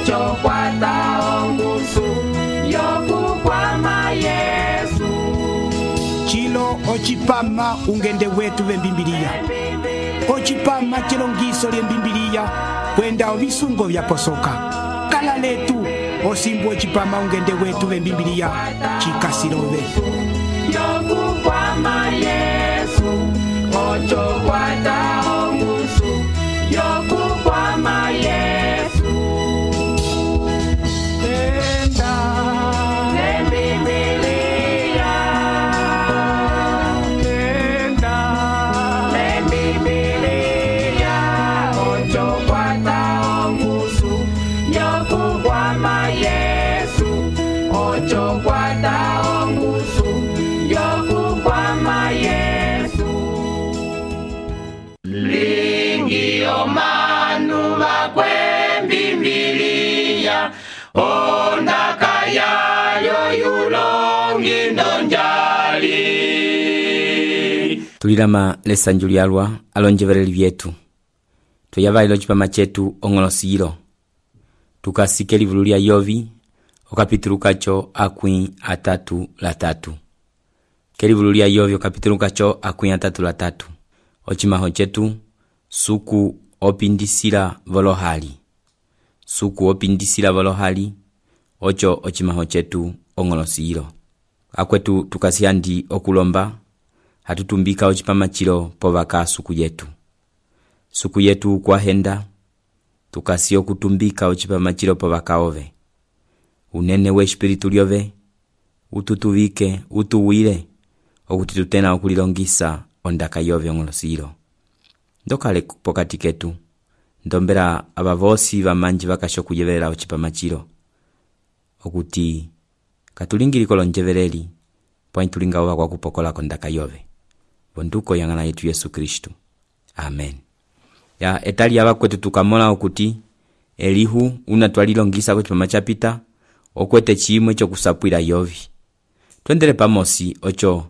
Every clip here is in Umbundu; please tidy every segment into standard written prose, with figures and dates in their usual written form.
ocho kwata ongusu yokukwama Yesu. Chilo ochipama ungende wetu vembimbilia. Ochipama chilongiso lyembimbilia kwenda ovisungo vyaposoka. Kala letu osimbu ochipama ungende wetu vembimbilia chikasilove. Yokukwama Yesu, ocho kwata ongusu yokukwama Yesu. Tenda lembibilia, tenda lembibilia, ocho kwata ongusu yokukwama Yesu, ocho kwata ongusu yokukwama Yesu. Lingi omanu bakwembimbilia ondaka yayo yulongi ndonjali. Tulilama lesanju lyalwa alonjevereli vyetu tuyavailo chipama chetu ong'olosilo tukasike livulu lya Yovi okapitulukacho akwi 3:3. Kelivulu lya Yovi okapitulukacho akwi 3:3. Ochimaho chetu suku opindisila volohali. Suku opindisila volohali ocho ochimaho chetu ong'olosilo. Akwetu tukasiandi okulomba hatutumbika ochipama chilo povaka suku yetu. Suku yetu kwa henda tukasi okutumbika ochipama chilo povaka ove. Unene we espiritu lyove ututuvike utuwile okuti tutena okulilongisa ondaka yove ong'olosilo. Ndokale pokati ketu ndombera abavosi bamanji bakasho kuyeverera ochipama chilo okuti katulingiliko lonjevereli point tulinga oba kwa kupokola kondaka yove bonduko yangana yetu Yesu Kristo. Amen. Ya etali abakwetu tukamola okuti Elihu unatwalilongisa kuchipama chapita okwete chimwe chokusapwila Yovi. Twendele pamosi ocho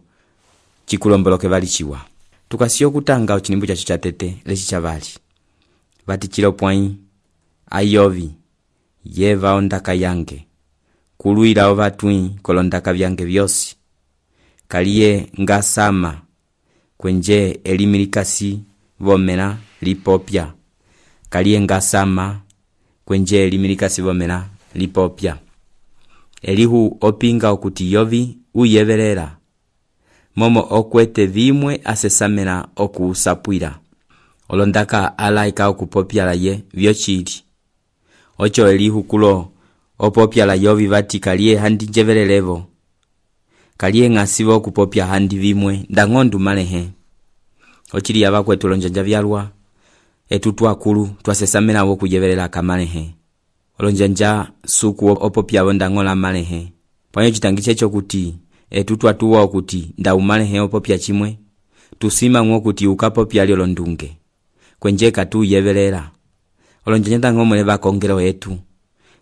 chikulomboloke valichiwa. Tukasiyo kutanga ochinimbu chacho chatete lechi chavali. Vati chilo pwai ayovi yeva ondaka yange kuluila ovatui kolondaka vyange vyosi. Kaliye ngasama kwenje elimilikasi vomena lipopya. Kaliye ngasama kwenje elimilikasi vomena lipopya. Elihu opinga okuti Yovi uyeverera momo okwete vimwe asesamena okusapwila olondaka alaika okupopyala ye vyochili. Ocho Elihu kulo opopyala Yovi vati kaliye handi njeverelevo. Kaliye ngasivo okupopya handi vimwe ndangondu malehe. Ochili abakwetu lonjanja vyalwa etutu akulu twasesamena wokuyeverera kamalehe. Olonjanja suku opopya bondangola malehe. Panyo chitangiche chokuti etutu atuwa okuti ndaumalehe opopya chimwe tusima ngokuti ukapopya lyo londunge kwenje katu yeverera. Olonjanja tangomwe bakongero etu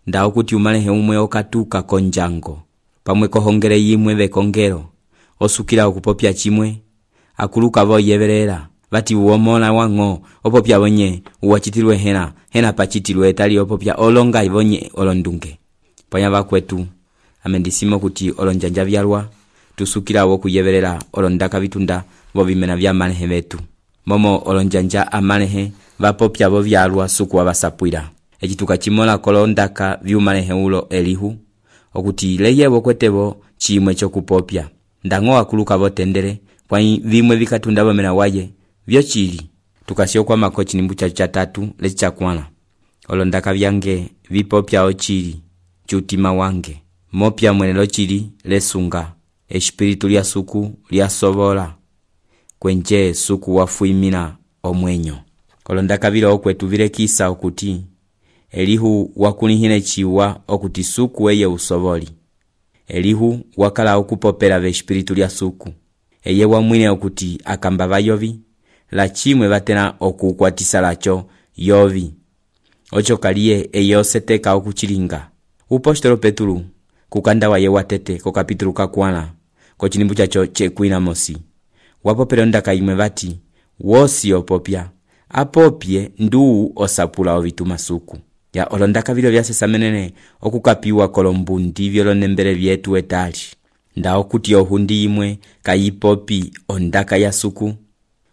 nda okuti umalehe umwe okatuka konjango pamwe kohongere yimwe bekongero osukira okupopya chimwe akuluka vo yeverera vati uomola wango opopya bonye uwachitilwe hena pachitilwe etali opopya olonga ibonye olondunge. Panya bakwetu amendisimo kuti olonjanja vyalwa tusukira wo kuyeverera olondaka bitunda bo bimena bya malehe betu momo olonjanja amalehe vapopya bo vyalwa suku abasapwira ekituka chimola kolondaka byumalehe ulo Elihu okuti leyebo kwetebo chimwe chokupopya ndango akuluka botendere kwa vimwe vikatunda bomena waye vyochili tukasio kwa makochi nimbu cha 3 lecha kwana olondaka byange vipopya ochili chutima wange mopya mwenelo chili lesunga espiritu lya suku lya sobola kwenje suku wafuimina omwenyo. Kolondaka bila okwetu vilekisa okuti Elihu wakunihine chiwa okuti suku eye usoboli. Elihu wakala okupopera ve espiritu lya suku eye wamwine okuti akambava Yovi la chimwe batena okukwatisa lacho Yovi. Ocho kaliye eye oseteka okuchilinga. Upostolo Petulu kukanda wa ye watete ko kapitulu kakwana ko chinimbu chacho chekwina mosi wapopera ndaka imwe bati wosi opopya apopye ndu osapula ovituma suku ya olondaka vilo vyasesamenene okukapiwa kolombundi vyolonembele vyetu etali nda okuti ohundi imwe kayipopi ondaka ya suku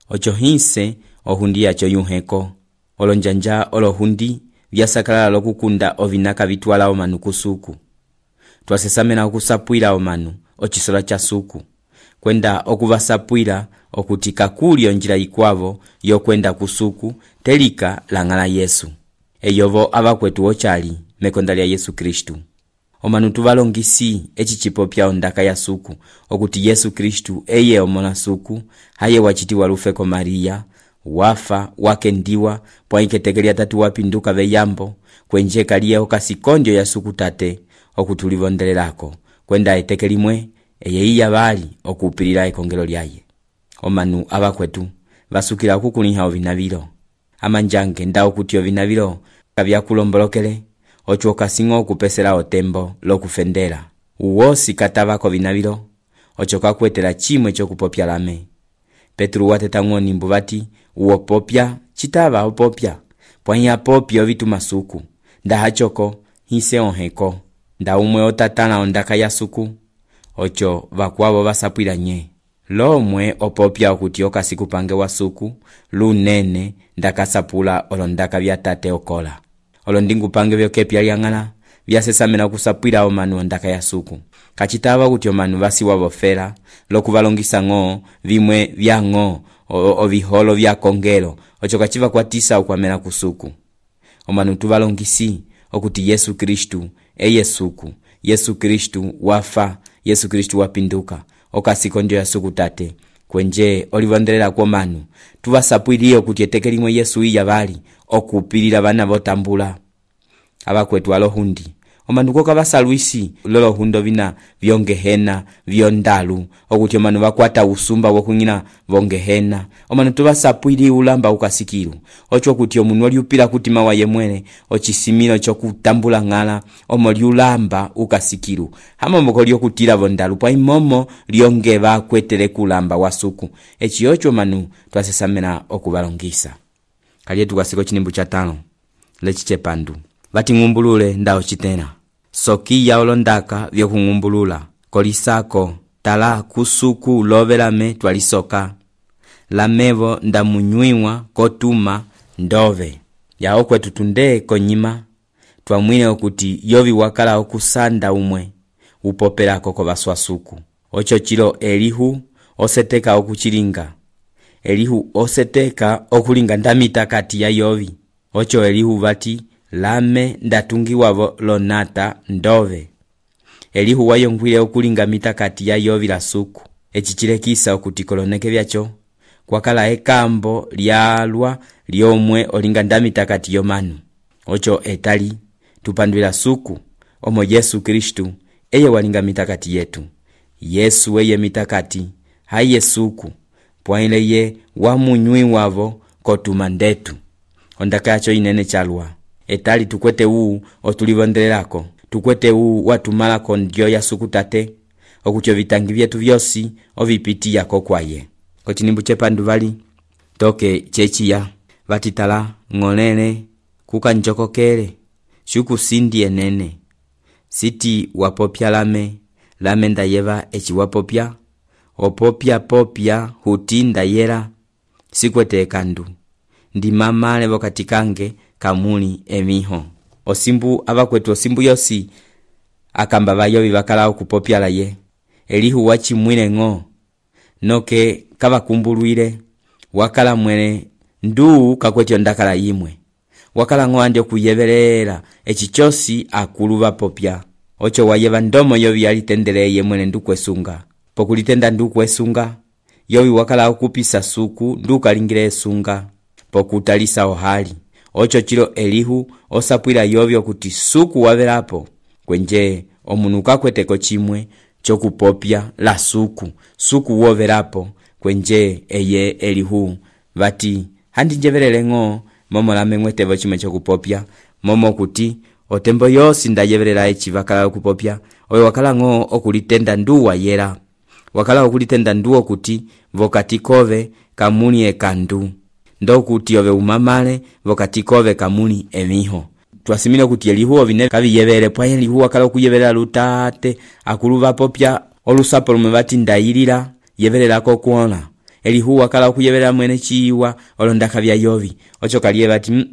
ocho hinse ohundi yacho yuheko olonjanja olohundi vyasakalala lokukunda ovinaka vitwala omanu kusuku twasesamena okusapwila omanu ochisola cha suku kwenda okuvasapwila okuti kakuli onjila ikwavo yokwenda kusuku telika langala Yesu eyovo abakwetu ochali mekonda lya Yesu Kristu omanu tuvalongisi echichipopya ondaka ya suku okuti Yesu Kristu eye omona suku haye wachitiwa lufeko Maria wafa wakendiwa pwaiketekelia tatu wapinduka veyambo kwenje kaliye okasikondio ya suku tate okutulivondelelako kwenda etekelimwe eye iya bali okupilila ekongelo lyaye omanu abakwetu basukila okukuliha ovinavilo amanjange nda okuti ovinavilo kabyakulombolokele ocho kasingo okupesela otembo lokufendela uwosi katavako vinavilo ocho kakwetela chimwe chokupopya lame Petru wateta ng'oni mbuvati uopopya chitava opopya pwanya popya ovituma suku nda hachoko hise onheko nda umwe otatana ondaka ya suku ocho vakwavo vasapwila nye lomwe opopya okuti okasiku pange wa suku lunene ndakasapula olondaka vya tate okola olondingu pange vyokepya lyang'ala vyasesamena okusapwila omanu ondaka ya suku kachitava kuti omanu vasiwa vofela lokuvalongisa ng'o vimwe vya ng'o oviholo vya kongelo ocho kachiva kwatisa ukwamela kusuku omanu tuvalongisi okuti Yesu Kristu eye suku Yesu Kristu wafa Yesu Kristu wapinduka okasikondio ya suku tate kwenje olivondelela kwa manu tuvasapwiliye okuti etekelimwe Yesu iya bali okupilila bana botambula abakwetu alohundi omanu koka basalwisi lolo hundo vina vyongehena vyondalu okuti omanu bakwata usumba wokunyina vongehena omanu tubasapwili ulamba ukasikiru ocho kuti omunu oliupila kutima wa yemwele ochisimilo chokutambula ngala omoli ulamba ukasikiru hama moko lyokutila vondalu pa imomo lyongeba kwetele kulamba wasuku echi ocho manu twasesamena okubalongisa kaliye tukasiko chinimbu cha 5 lechichepandu vati ngumbulule ndao chitena soki ya olondaka vyokungumbulula kolisako tala kusuku lovelame twalisoka lamevo ndamunywiwa kotuma ndove yao kwetu tunde konyima twamwine okuti yovi wakala okusanda umwe upopela koko baswasuku ocho chilo Elihu oseteka okuchilinga Elihu oseteka okulinga ndamita kati ya yovi ocho Elihu vati lame ndatungiwavo lonata ndove Elihu wayongwile okulinga mitakati ya yovi la suku echichilekisa okuti koloneke vyacho kwakala ekambo lyalwa lyomwe olinga ndamitakati yomanu ocho etali tupandwila suku omo Yesu Kristu eye walinga mitakati yetu Yesu eye mitakati haye suku pwaile ye wamunywiwavo kotuma ndetu ondaka yacho inene chalwa etali tukwete uu otulivondelelako tukwete uu watumalako ndio ya suku tate okucho vitangi vyetu vyosi ovipiti yako kwaye kotinimbu chepandu vali toke chechiya vatitala ng'olele kuka njokokele shuku sindi enene siti wapopya lame ndayeva echi wapopya opopya popya huti ndayera sikwete kandu ndi mamale vokatikange kamuli emiho osimbu abakwetu osimbu yosi akamba bayobi bakala okupopya laye Elihu wachimwile ng'o noke kabakumbulwile wakala mwene ndu kakwetyo ndakala yimwe wakala ng'o andi okuyebelela echichosi akulu bapopya ocho wayeba ndomo yobi alitendeleye mwene ndu kwesunga pokulitenda ndu kwesunga yobi wakala okupisa suku ndu kalingile esunga pokutalisa ohali ocho chilo Elihu osapwila yobi okuti suku wabelapo kwenje omunuka kweteko chimwe chokupopya la suku wovelapo kwenje eye Elihu vati handi njebelele ng'o momo lame mwetebo chimwe chokupopya momo kuti otembo yosi ndayebelela echi vakala okupopya oyo wakala ng'o okulitenda ndu wayera wakala okulitenda ndu okuti vokatikove kamuni ekandu ndo kuti ove umamale vokatikove kamuni emiho twasimile kuti elihuwa vine kaviyevele pwa elihuwa kala okuyevelela lutate akulu vapopya olusapo lumwe vati ndayilila yevelelako kuona elihuwa kala okuyevelela mwene chiwa olondaka vya yovi ocho kaliye vati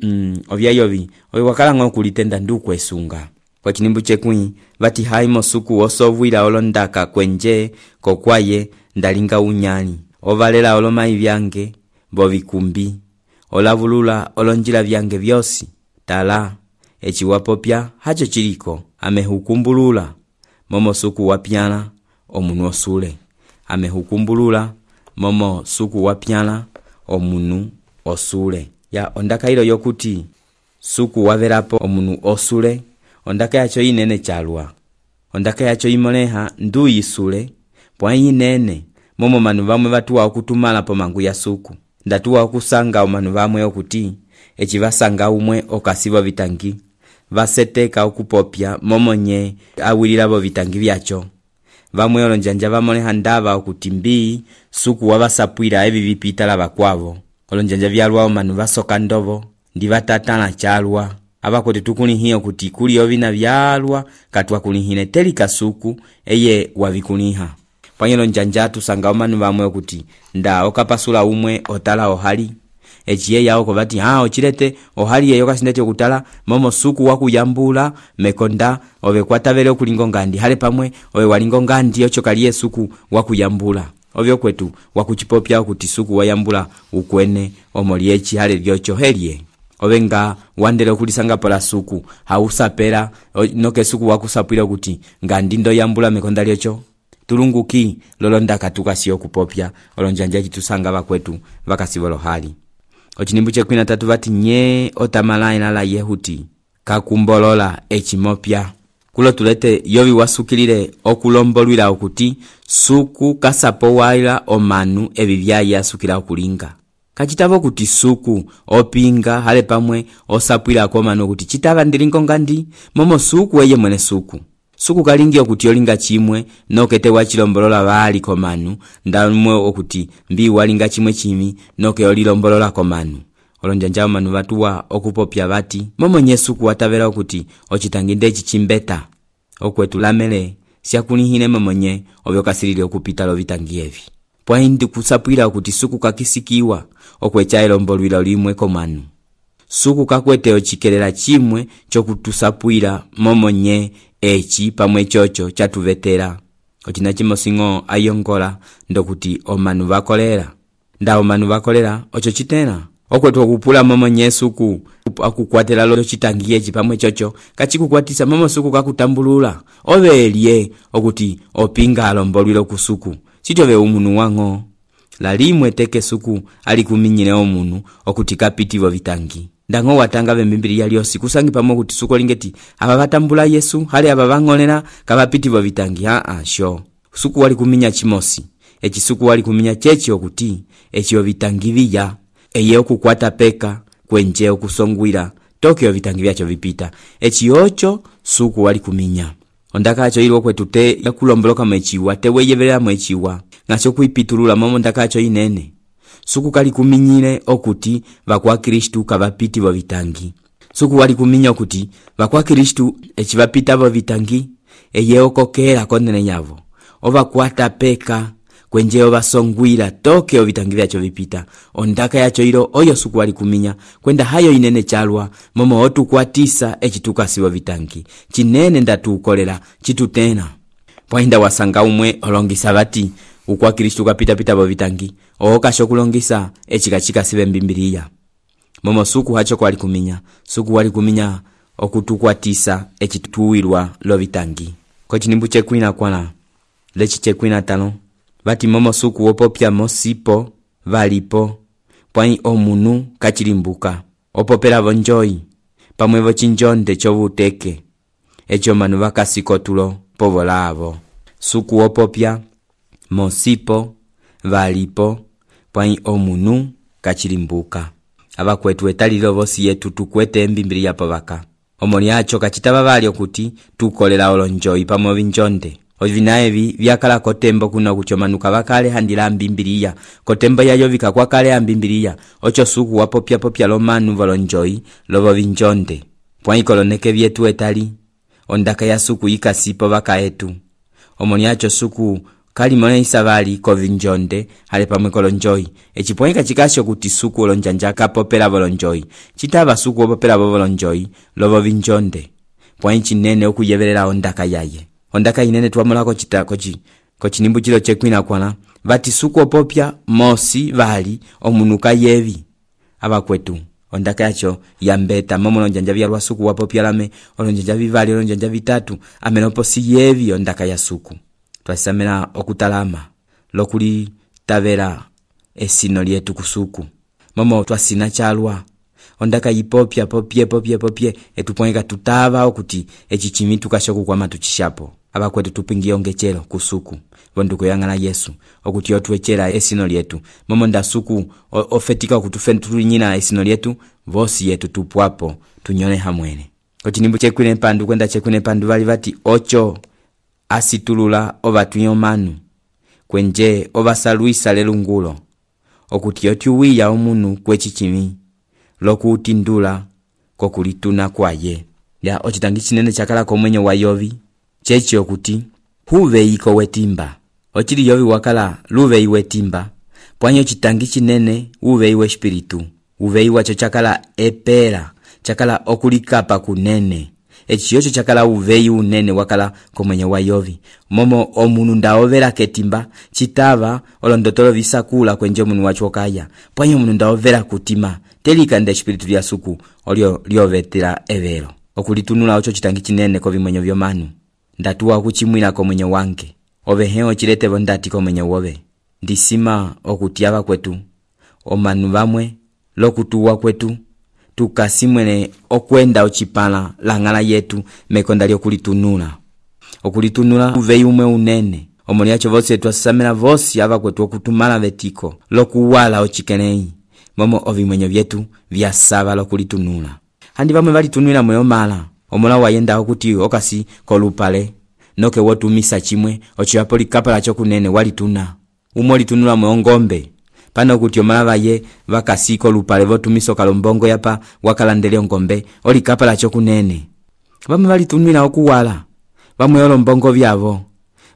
ovya yovi oyo wakala ngo kulitenda ndukwesunga kwa chinimbu chekwi vati haimo suku osovwila olondaka kwenje kokwaye ndalinga unyani ovalela olomai vyange bovikumbi olavulula olonjila vyange vyosi tala echiwapopya hacho chiliko amehukumbulula momo suku wapyana omunu osule amehukumbulula momo suku wapyana omunu osule ya ondaka ilo yokuti suku wavelapo omunu osule ondaka yacho inene chalwa ondaka yacho imoleha ndu yisule pwa inene momo manu vamwe vatuwa okutumala po mangu ya suku ndatuwa okusanga omanu vamwe okuti echi vasanga umwe okasivo vitangi vaseteka okupopya momonye awililavo vitangi vyacho vamwe olonjanja vamoleha ndava okuti mbii suku wavasapwila evi vipitala vakwavo olonjanja vyalwa omanu vasoka ndovo ndi vatatala chalwa avakote tukulihiye okuti kuli ovina vyalwa katwa kulihine telika suku eye wavikuliha pwanyelo njanja tusanga omanu vamwe okuti nda okapasula umwe otala ohali echiye yao kovati ochilete ohali yeyo kasindete okutala momo suku wakuyambula mekonda ove kwatavele okulingo ngandi hale pamwe ove walingo ngandi ocho kaliye suku wakuyambula ovyo kwetu wakuchipopya okuti suku wayambula ukwene omoliechi hale vyocho helie ovenga wandele okulisanga pola suku hausapela noke suku wakusapwila okuti ngandi ndo yambula mekonda lyocho tulunguki lolondaka tukasiyo kupopya olonjanja chitusanga vakwetu vakasivolo hali ochinimbu chekwina tatu vati nye otamalaina la yehuti kakumbolola echimopya kulo tulete yovi wasukilile okulombolwila okuti suku kasapo waila omanu evi vyayi asukila okulinga kachitavo kuti suku opinga hale pamwe osapwila komanu okuti chitava ndilingo ngandi momo suku eye mwene suku kalingi okuti olinga chimwe nokete wachilombolola vali komanu ndamwe okuti mbi walinga chimwe chimi noke olilombolola komanu olonjanja omanu vatuwa okupopya vati momo nyesuku watavela okuti ochitanginde chichimbeta okwetulamele siakulihine momonye ovyo kasilile okupita lovitangi evi pwaindi kusapwila okuti suku kakisikiwa okwecha elombolwila limwe komanu suku kakwete ochikelela chimwe chokutusapwila momonye echi pamwe chocho chatuvetera ochina chimosingo ayongola ndokuti omanu vakolera nda omanu vakolera ocho chitena okwetu okupula momonye suku akukwatela lo chitangiye echi pamwe chocho kachikukwatisa momo suku kakutambulula ovelie okuti opinga alombolwilo kusuku chitove umunu wango lalimwe teke suku alikuminyile omunu okuti kapitivo vitangi ndango watanga vembimbili lyosi kusangi pamwe kuti suko lingeti aba batambula Yesu hali aba bangolera kabapitivo vitangi sho suku wali kuminya chimosi echi suku wali kuminya chechi okuti echi ovitangi vya eye okukwata peka kwenje okusongwira tokyo vitangi vyacho vipita echi ocho suku wali kuminya ondaka acho ilo kwetute yakulomboloka mwechiwa teweyevelera mwechiwa ngacho kuipitulula momo ndaka acho inene suku kali kuminyile okuti vakwa Kristu kavapiti vo vitangi suku wali kuminya okuti vakwa Kristu echi vapita vo vitangi eye okokela konene nyavo ovakwata peka kwenje ovasongwira toke ovitangi vyacho vipita ondaka yacho ilo oyo suku wali kuminya kwenda hayo inene chalwa momo otukwatisa echi tukasivo vitangi chinene ndatukolera chitutena pwainda wasanga umwe olongisa vati ukwa Kristu kapita vo vitangi okasho kulongisa echikachika sive mbimbiliya momo suku hacho kwali kuminya suku wali kuminya okutukwatisa echituwirwa lo vitangi ko chinimbu chekwina kwana lechi chekwina tano vati momo suku wopopya mosipo valipo pwai omunu kachilimbuka opopela vonjoyi pamwe vochinjonde chovuteke echo manu vakasikotulo povolavo suku wopopya mosipo valipo pwai omunu kachilimbuka abakwetu etalilo vosi yetu tukwete mbimbili yapo vaka omoni acho kachitaba vali okuti tukolela olonjoyi pamwe vinjonde ovinaevi vyakala kotembo kuna kuchomanuka vakale handila mbimbiliya kotembo yayo vika kwa kale mbimbiliya ocho suku wapopya popya lomanu volonjoyi lovo vinjonde pwai koloneke vyetu etali ondaka ya suku yikasipo baka etu omoni acho suku kali mone isabali kovinjonde hale pamwe kolonjoyi echipwai kachikasho kuti suku olonjanja kapopela bolonjoyi chitaba suku opopela bolonjoyi lobo vinjonde pwai chinene okuyebelela ondaka yaye ondaka inene twamolako kochinimbu chilo chekwina kwana vati suku opopya mosi vali omunuka yevi abakwetu ondaka yacho yambeta momo lonjanja vyalwa suku wapopya lame olonjanja vivali olonjanja vitatu amenopo si yevi ondaka ya suku twasamela okutalama lokuli tavera esino lyetu kusuku momo twasina chalwa ondaka yipopya popye etupweka tutava okuti echichimi tukashoku kwa matuchishapo abakwetu tupingi ongechelo kusuku bonduko yangala Yesu okuti otwechela esino lyetu momo ndasuku ofetika okutufentulinyina esino lyetu vosi yetu tupwapo tunyone hamwene kochinimbu chekwine pandu kwenda chekwine pandu vali vati ocho asitulula ovatuyo manu kwenje ovasaluisa lelungulo okuti otiuwiya omunu kwechichimi lokutindula kokulituna kwaye ya ochitangi chinene chakala komwenyo wa Yovi chechi okuti huveiko wetimba ochili Yovi wakala luvei wetimba pwanyo chitangi chinene uvei we espiritu uvei wacho chakala epera chakala okulikapa kunene echiyocho chakala uvei unene wakala komwenyo wa Yovi momo omunu ndaovera ketimba chitava olondotolo visakula kwenje omunu wacho kaya pwanyo omunu ndaovera kutima telika nde espiritu lya suku olio liovetera evero okulitunula ocho chitangi chinene kovimwenyo vyomanu ndatuwa kuchimwina komwenyo wange oveheo chiletevo ndati komwenyo wove ndisima okutiava kwetu omanu vamwe lokutuwa kwetu tukasimwene okwenda ochipala langala yetu mekonda lyokulitunula okulitunula uvei umwe unene omoni acho vosi twasamela vosi ava kwetu okutumala vetiko lokuwala ochikenei momo ovimwenyo vyetu vyasava lokulitunula handi vamwe valitunula moyo mala omola wayenda okuti okasi kolupale noke wotumisa chimwe ochiapo likapala chokunene walituna umo litunula moyo ngombe pano kuti omala vaye vakasi kolupale votumisa kalombongo yapa wakalandele ngombe olikapala chokunene vamwe valitunula okuwala vamwe olombongo vyavo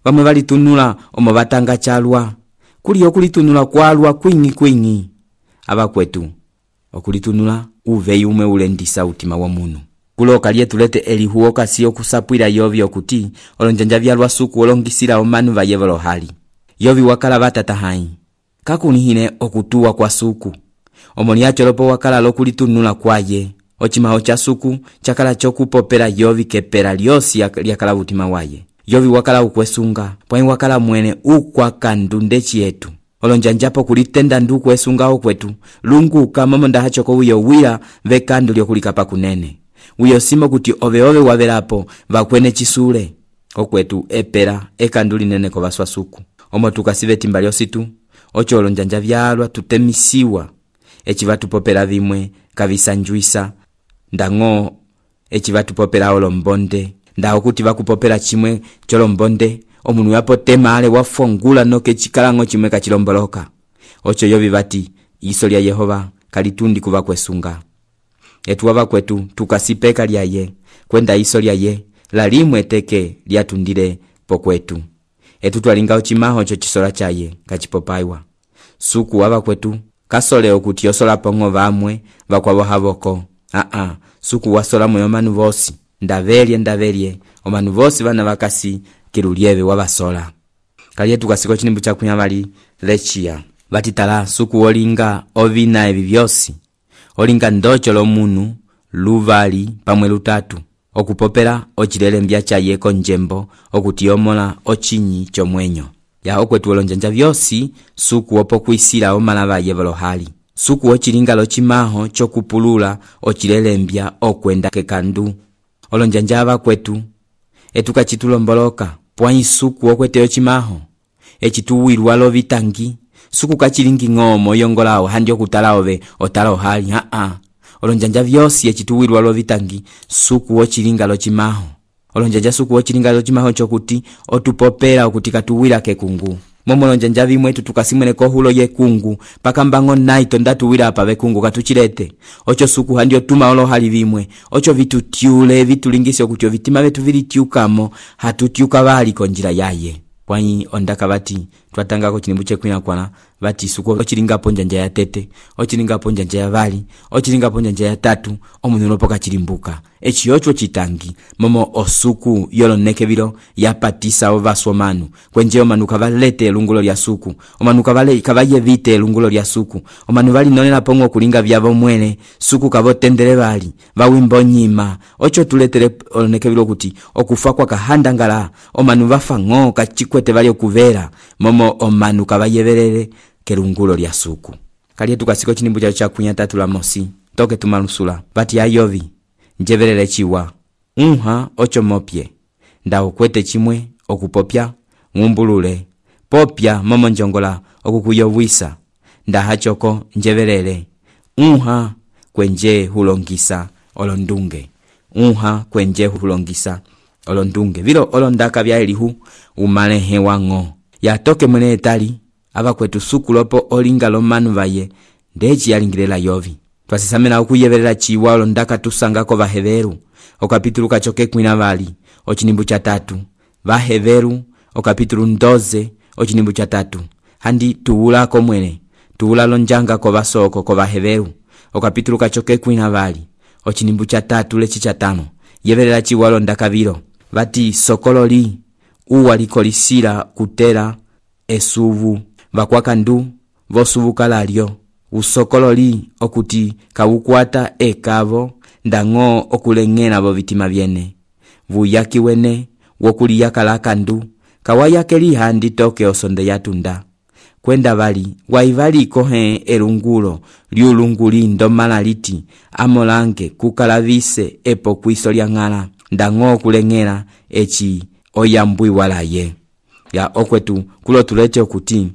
vamwe valitunula omo batanga chalwa kuli okulitunula kwalwa kwingi abakwetu okulitunula uvei umwe ulendisa utima wa munu kuloka lyetulete elihuo kasi okusapwila Yovi okuti olonjanja vyalwa suku olongisila omanu vayevolo hali Yovi wakala batata hai kakunihine okutuwa kwa suku omoni acho lopo wakala lokulitunula kwaye ochimaho cha suku chakala chokupopela Yovi kepera lyosi lyakala utima waye Yovi wakala ukwesunga pwai wakala mwene ukwakandu chietu olonjanjapo kulitenda nduku esunga okwetu lunguka momo ndahachoko uyo wila vekandu lyokulikapa kunene uyo simo kuti ove wavelapo vakwene chisule okwetu epera ekanduli nene kovaswa suku omo tukasive timba lyositu ocho olonjanja vyalwa tutemisiwa echivatupopela vimwe kavisanjuisa ndango echivatupopela olombonde ndaho kuti vakupopela chimwe cholombonde omunu yapo temale wafongula noke chikalango chimwe kachilomboloka ocho Yovi vati iso lya Yehova kalitundi kuva kwesunga etuwava kwetu tukasipeka lyaye kwenda iso lyaye lalimwe teke lyatundile pokwetu etutwalinga ochimaho cho chisola chaye kachipopaiwa suku wava kwetu kasole okuti yosola pongo vamwe vakwavo havoko suku wasola moyo manu vosi ndavelye omanu vosi vana vakasi kilulieve wavasola kalye tukasiko chinimbu chakunyavali lechia vatitala suku olinga ovina evi vyosi olinga ndocho lomunu luvali pamwe lutatu okupopela ochilelembya chaye konjembo okuti yomola ochinyi chomwenyo ya okwetu olonjanja vyosi suku opo kwisila omalava yevolo hali suku ochilinga lochimaho chokupulula ochilelembya okwenda kekandu olonjanja ava kwetu etukachitulomboloka pwai suku okwete ochimaho echituwilwa lovitangi suku kachilingi ngomo yongolawo handi okutala ove otala hali olonjanja vyosi echituwilwa lovitangi suku ochilinga lochimaho olonjanja suku ochilinga lochimaho chokuti otupopela okuti katuwila kekungu momolonjanja vimwetu tukasimweneko hulo yekungu pakambango naito ndatuwira apa vekungu katuchilete ocho suku handio tuma olohali vimwe ocho vitutiule vitulingise okuti vitima vetu vilitiukamo hatutiuka valiko njira yaye pwanyi ondaka vati twatangako chinimbu chekwinakwana vati suku ochilingapo njanja ya tete ochilingapo njanja ya vali ochilingapo njanja ya tatu omunhu nopoka chilimbuka echiyocho chitangi momo osuku yoloneke vilo yapatisa ovasomanu kwenje omanu kavalete lungulo lya suku omanu kavayevite lungulo lya suku omanu vali nonela pongo kulinga vyavo mwene suku kavotendele vali vawimbo nyima ocho tuletere oloneke vilo kuti okufa kwa kahandangala omanu vafa ngo kachikwete vali okuvera momo omanu kavayeverere kelungulo lya suku kaliye tukasiko chinimbu cha kunya tatu la mosi toke tumalusula vati ya Yovi njeverere chiwa ocho mopye ndao kwete chimwe okupopya ngumbulule popya momo njongola okukuyowisa ndahachoko njeverere kwenje hulongisa olondunge kwenje hulongisa olondunge vilo olondaka vya elihu umalehe wango yatoke mwene etali ava kwetu suku lopo olinga lomanu vaye ndechi yalingilela Yovi twasisamena okuyeverera chiwa olondaka tusangako vaheveru okapitulu kachoke kwina vali ochinimbu cha 3 vaheveru okapitulu 12 ochinimbu cha 3 handi tuulako mwene tuula lonjanga ko vasoko ko vaheveru okapitulu kachoke kwina vali ochinimbu cha 3 lechi cha 5 yeverera chiwa olondaka vilo vati sokololi uwalikolisila kutela esuvu vakwakandu vosuvuka lalyo usokololi okuti kawukwata ekavo ndango okulengena vo vitima vyene vuyaki wene wokuliyakalakandu kawayakeli handi toke osonde yatunda kwenda vali waivaliko elungulo lyulunguli ndomala liti amolange kukalavise epo kwiso lya ng'ala ndango okulengela echi oyambwi walaye ya okwetu kulo tulete okuti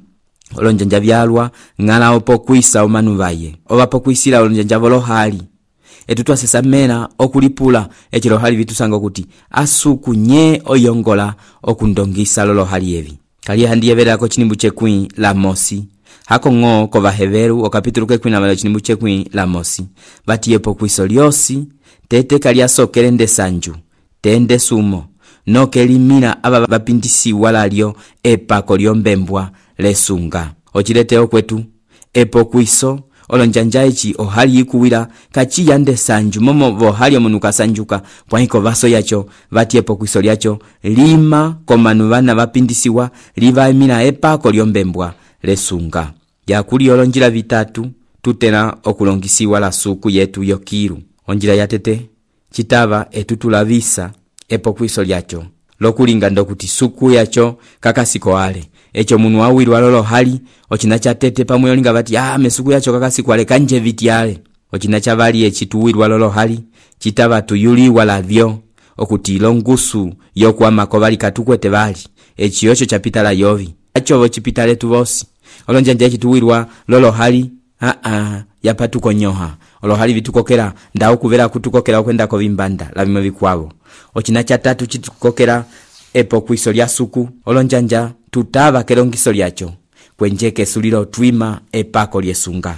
olonjanja vyalwa ng'ala opo kwisa omanu vaye ovapo kwisila olonjanja volohali etutwasesamena okulipula echilohali vitusanga okuti asuku nye oyongola okundongisa lolohali evi kali handiyeverako chinimbu chekwi la mosi hako ngo ko vaheveru okapitulu kekwi na chinimbu chekwi la mosi vatiyepo kwiso lyosi tete kali asokele nde sanju tende sumo nokelimina aba vapindisi walalyo epako lyombembwa lesunga ochileteo kwetu epo kwiso olonjanja ichi ohali ikuwira kachi yande sanju momo vohali omunuka sanjuka pwaiko vaso yacho vatiepo kwiso lyacho lima komanu vana vapindisiwa livaimina epako lyombembwa lesunga yakuli olonjila vitatu tutena okulongisiwa la suku yetu yokiru onjila yatete chitava etutulavisa epo kwiso lyacho lokulinga ndokuti suku yacho kakasiko ale echo munu awirwa lolo hali ochina cha tete pamwe olinga vati mesuku yacho kakasiko ale kanje vitiale ochina cha vali echituwirwa lolo hali chitava tuyuliwa lavyo okuti longusu yokwama kovali katukwete vali echiyocho chapita la Yovi acho chipita letu vosi olonjanja echituwirwa lolo hali yapatuko nyoha olohali vitukokera ndao kuvera kutukokera okwenda ko vimbanda lavimwe vikwavo ochina cha 3 chitukokera epo kwiso lya suku olonjanja tutava kelongiso lyacho kwenjeke sulilo twima epako lyesunga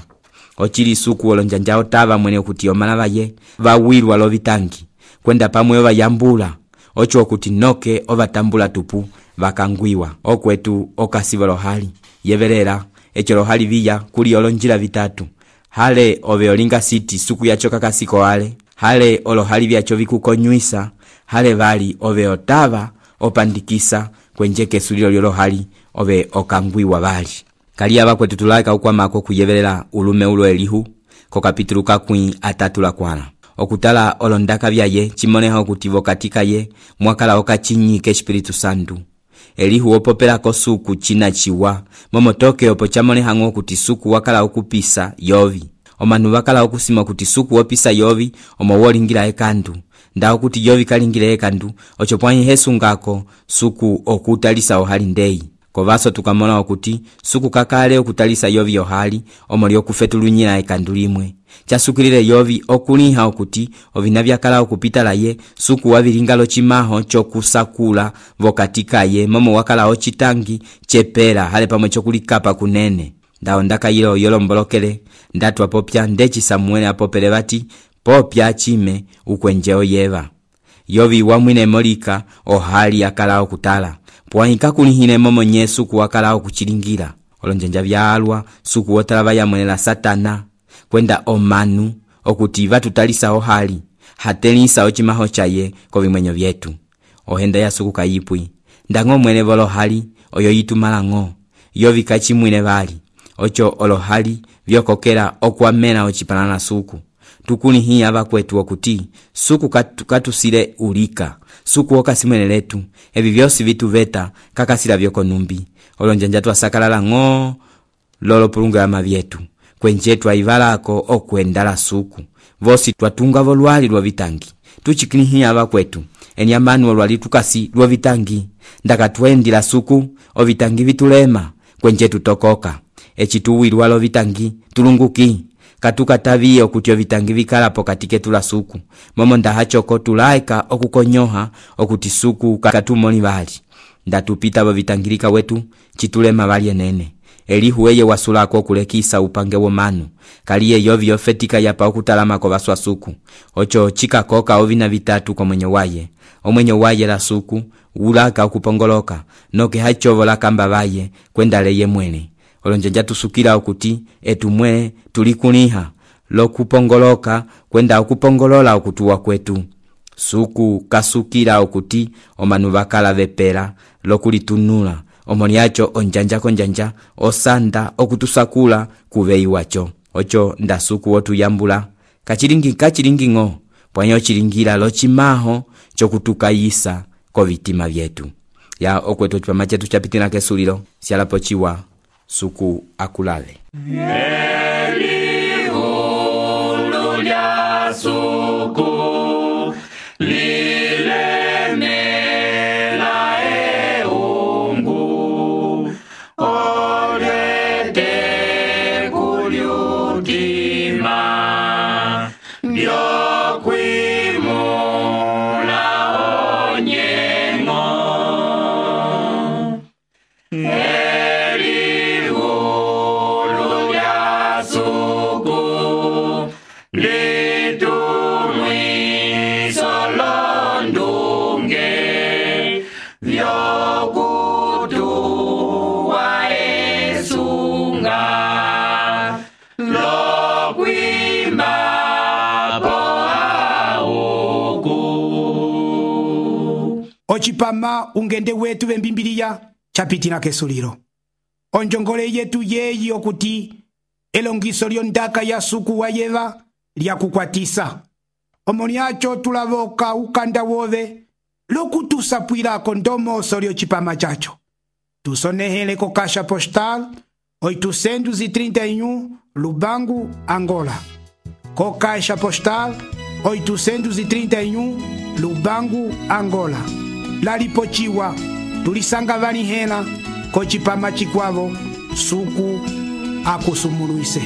ochili suku olonjanja otava mwene okuti omala vaye vawirwa lovitangi kwenda pamwe vayambula ocho okuti noke ovatambula tupu vakangwiwa okwetu okasiva lohali yeverera echo lohali viya kuli olonjila vitatu hale ove olinga siti suku yacho kakasiko ale hale olohali vyacho vikukonyuisa hale vali ove otava opandikisa kwenjeke sulilo lyolohali ove okangwiwa vali kali ava kwetu tulaika ukwamako kuyeverera ulume ulo elihu ko kapitulu kakwi atatu la kwana okutala olondaka vyaye chimoneha okutivo katika ye mwakala okachinyike Espiritu Santu elihu opopela ko suku china chiwa momotoke opo chamoneha ngo kuti suku wakala okupisa Yovi omanu wakala okusima kuti suku opisa Yovi omo wolingira ekandu ndao kuti Yovi kalingira ekandu ocho pwanyi hesungako suku okutalisa ohali ndei kovaso tukamona okuti suku kakale okutalisa Yovi ohali omo lyokufetulunyira ekandu limwe chasukilile yovi okuliha okuti ovina vyakala okupita laye suku wavilinga locimaho chokusakula vokati kaye momo wakala ocitangi cepela hale pamwe chokulikapa kunene. Ndawo ndakayila oyolombolokele ndatwa popya ndeci Samuele apopele bati popya chime ukwenje oyeva. Yovi wamwine molika ohali akala okutala pwahika kulihine momo nye suku wakala okuchilingira. Olonjanja vyalwa suku wotala vayamwelela Satana kwenda omanu okuti vatutalisa ohali hatelisa ocimaho chaye kovimwenyo vyetu. Ohenda ya suku kayipwi ndango mwene volohali oyo yitumalango yovi kachimwine vali ocho olohali vyokokela okuamena ocipalana suku. Tukulihi ava kwetu okuti suku katusile ulika suku okasimwene letu evi vyosi vitu veta kakasila vyoko numbi. Olonjanja twasakalala ngo lolo pulungama vyetu kwenjetu aivalako okuendala suku vosi twatunga volwali lwa vitangi. Tuchikilihi ava kwetu enyambanu olwali tukasi lwa vitangi ndakatwendila suku ovitangi vitulema kwenjetu tokoka echituwilwa lo vitangi tulunguki katukataviye okuti ovitangi vikalapo katike tula suku momo ndahachoko tulaika okukonyoha okuti suku katumoni vali ndatupita vo vitangilika wetu chitulema vali enene. Elihu eye wasulako kulekisa upange womanu kaliye yovi yofetika yapa okutalamako vaswa suku ocho chikakoka ovina vitatu kwa mwenye waye. Omwenye waye la suku ulaka okupongoloka noke hachovo la kamba vaye kwenda leye mwene. Olonjanja tusukila okuti etumwe tulikuliha lokupongoloka kwenda okupongolola okutuwa kwetu. Suku kasukila okuti omanu vakala vepela lokulitunula omoniacho onjanja konjanja osanda okutusakula kuvei wacho ocho ndasuku wotuyambula kachilingi ngo pwanyo chilingira lochimaho chokutukayisa kovitima vyetu ya okwetu chipama chetu chapitina kesulilo sialapo chiwa suku akulale. Elihu lya suku Ochipama ungende wetu vembimbiliya chapitina kesulilo. Onjongole yetu yeyi okuti elongiso lyondaka ya suku wayeva lya kukwatisa. Omoniacho tulavoka ukanda wove lokutusapwilako ndomoso lyochipama chacho. Tusonehele ko Caixa Postal 831 Lubangu, Angola. Ko Caixa Postal 831 Lubangu, Angola. Lalipochiwa tulisanga vani hela ko chipama chikwavo suku akusumuluise.